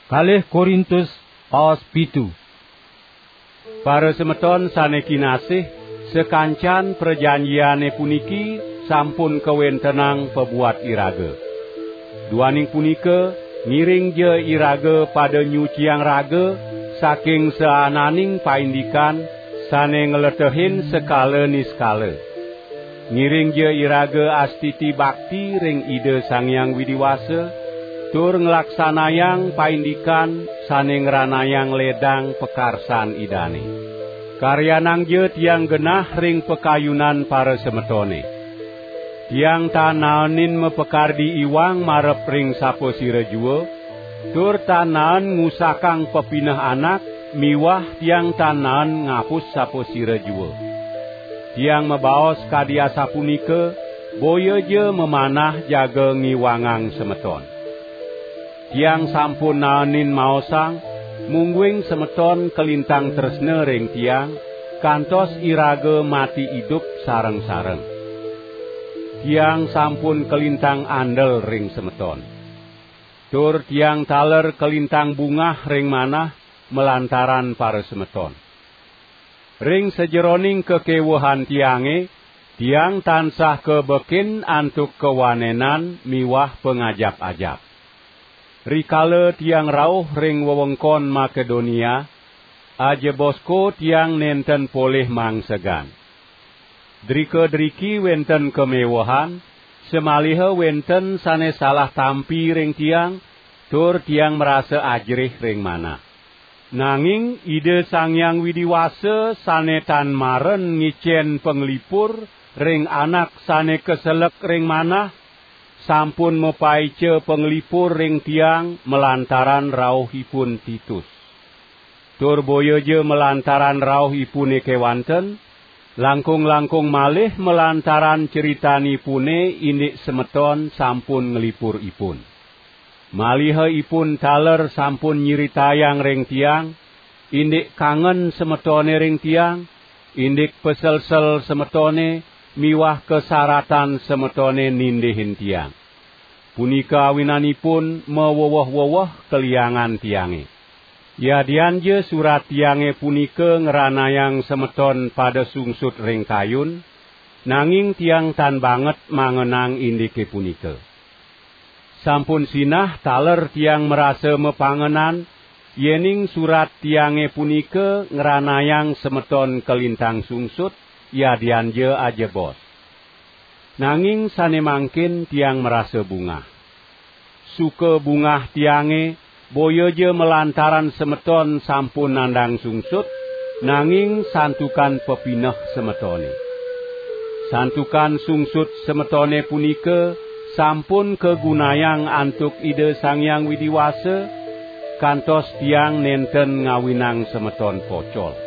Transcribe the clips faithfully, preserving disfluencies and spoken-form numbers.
Kalih Korintus, paos pitu. Para semeton sane kinasih, sakancan prajanjiane puniki sampun kawentenang pabuat iraga. Duaning punika, ngiringja iraga pada nyuciang raga saking saananing paindikan sane ngletehin sekala niskala. Ngiringja iraga astiti bakti ring Ida Sang Hyang Widi Wasa, tur nglaksanayang paindikan sane ngranayang ledang pakarsan Idane. Karyanangja tiang genah ring pakayunan parasemetone. Tiang tan naenin mapakardi iwang marep ring sapasira jua, tur tan naen ngusakang pepineh anak, miwah tiang tan naen ngapus sapasira jua. Tiang mabaos kadi asapunika, boyaja mamanah jaga ngiwangang semeton. Tiang sampun naenin maosang, mungguing semeton kalintang tresna ring tiang, kantos iraga mati idup sareng-sareng. Tiang sampun kalintang andel ring semeton. Tur tiang taler kalintang bungah ring manah malantaran parasemeton. Ring sajeroning kakewehan tiange, tiang tansah kabekin antuk kawanenan miwah pangajap-ajap. Rikala tiang rauh ring wewengkon Makedonia, ajebasko tiang nenten polih mangsegan. Drika-driki wenten kamewehan, samaliha wenten sane salah tampi ring tiang, tur tiang marasa ajerih ring manah. Nanging Ida Sang Hyang Widi Wasa sane tan maren ngicen panglipur ring anak sane kaselek ring manah, sampun mapaica panglipur ring tiang malantaran rauhipun Titus. Tur boyaja malantaran rauhipune kewanten, langkung-langkung malih malantaran critanipune indik semeton sampun nglipur ipun. Maliha ipun taler sampun nyiritayang ring tiang, indik kangen semetone ring tiang, indik paselsel semetone, miwah kasaratan semetone nindihin tiang. Punika awinanipun maweweh-weweh kaliangan tiange. Yadianja surat tiange punika ngranayang semeton pada sungsut ring kayun, nanging tiang tan banget mangenang indike punika. Sampun sinah taler tiang marasa mapangenan, yening surat tiange punika ngranayang semeton kalintang sungsut, yadianja ajebos. Nanging sane mangkin tiang marasa bungah. Suka bungah tiange, boyaja malantaran semeton sampun nandang sungsut, nanging santukan pepineh semetone. Santukan sungsut semetone punika sampun kagunayang antuk Ida Sang Hyang Widi Wasa, kantos tiang nenten ngawinang semeton pocol.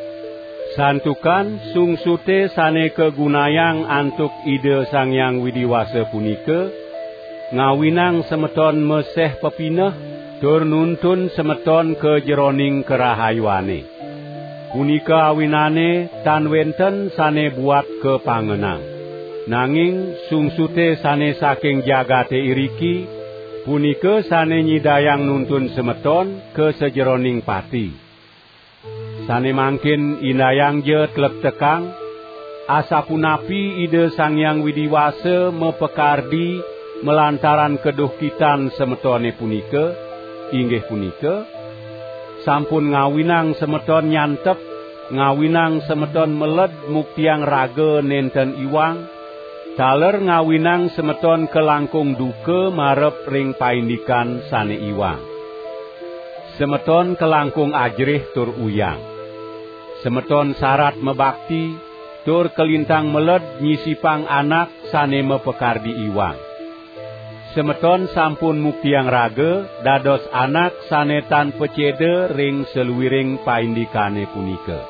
Santukan sungsute sane kagunayang antuk Ida Sang Hyang Widi Wasa punika, ngawinang semeton meseh pepineh, tur nuntun semeton ka jeroning karahayuane. Punika awinane tan wenten sane buat kapangenang. Nanging sungsute sane saking jagate iriki, punika sane nyidayang nuntun semeton ka sajeroning pati. Sane mangkin indayangja tlektekang, asapunapi Ida Sang Hyang Widi Wasa mapakardi malantaran kaduhkitan semetone punika, inggih punika, sampun ngawinang semeton nyantep, ngawinang semeton meled muktiang raga nenten iwang, taler ngawinang semeton kalangkung duka marep ring paindikan sane iwang. Semeton kalangkung ajerih tur uyang. Semeton sarat mabakti, tur kalintang meled nyisipang anak sane mapakardi iwang. Semeton sampun muktiang raga dados anak sane tan paceda ring saluiring paindikane punika.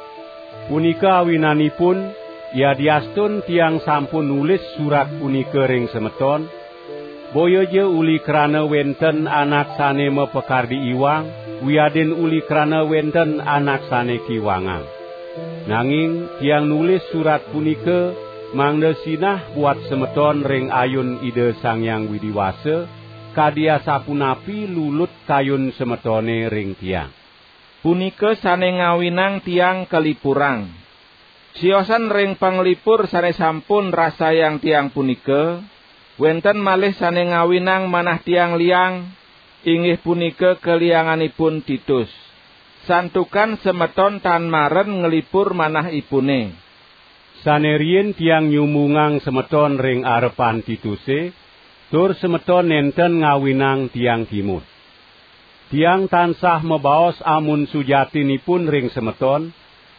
Punika awinanipun, yadiastun tiang sampun nulis surat punika ring semeton, boyaja uli krana wenten anak sane mapakardi iwang, wiadin uli krana wenten anak sane kiwangang. Nanging tiang nulis surat punika mangda sinah buat semeton ring ayun Ida Sang Hyang Widi Wasa, kadi asapunapi lulut kayun semetone ring tiang. Punika sane ngawinang tiang kalipurang. Siosan ring panglipur sane sampun rasayang tiang punika, wenten malih sane ngawinang manah tiang liang, inggih punika kalianganipun Titus. Santukan semeton tan maren nglipur manahipune. Sane riin tiang nyumbungang semeton ring arepan Tituse, tur semeton nenten ngawinang tiang kimud. Tiang tansah mabaos amun sujatinipun ring semeton,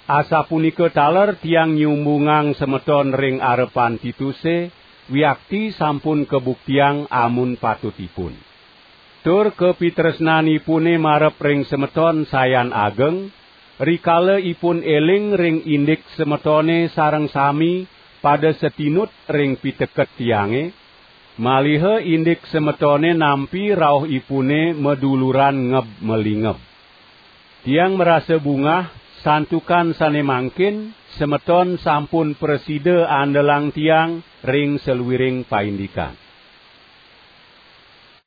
asapunika taler tiang nyumbungang semeton ring arepan Tituse, wiakti sampun kabuktiang amun patutipun. Tur kapitresnanipune marep ring semeton sayan ageng, rikala ipun eling ring indik semetone sareng sami pada satinut ring piteket tiange, maliha indik semetone nampi rauhipune maduluran ngeb-malingeb. Tiang marasa bungah, santukan sane mangkin semeton sampun prasida andelang tiang ring saluiring paindikan.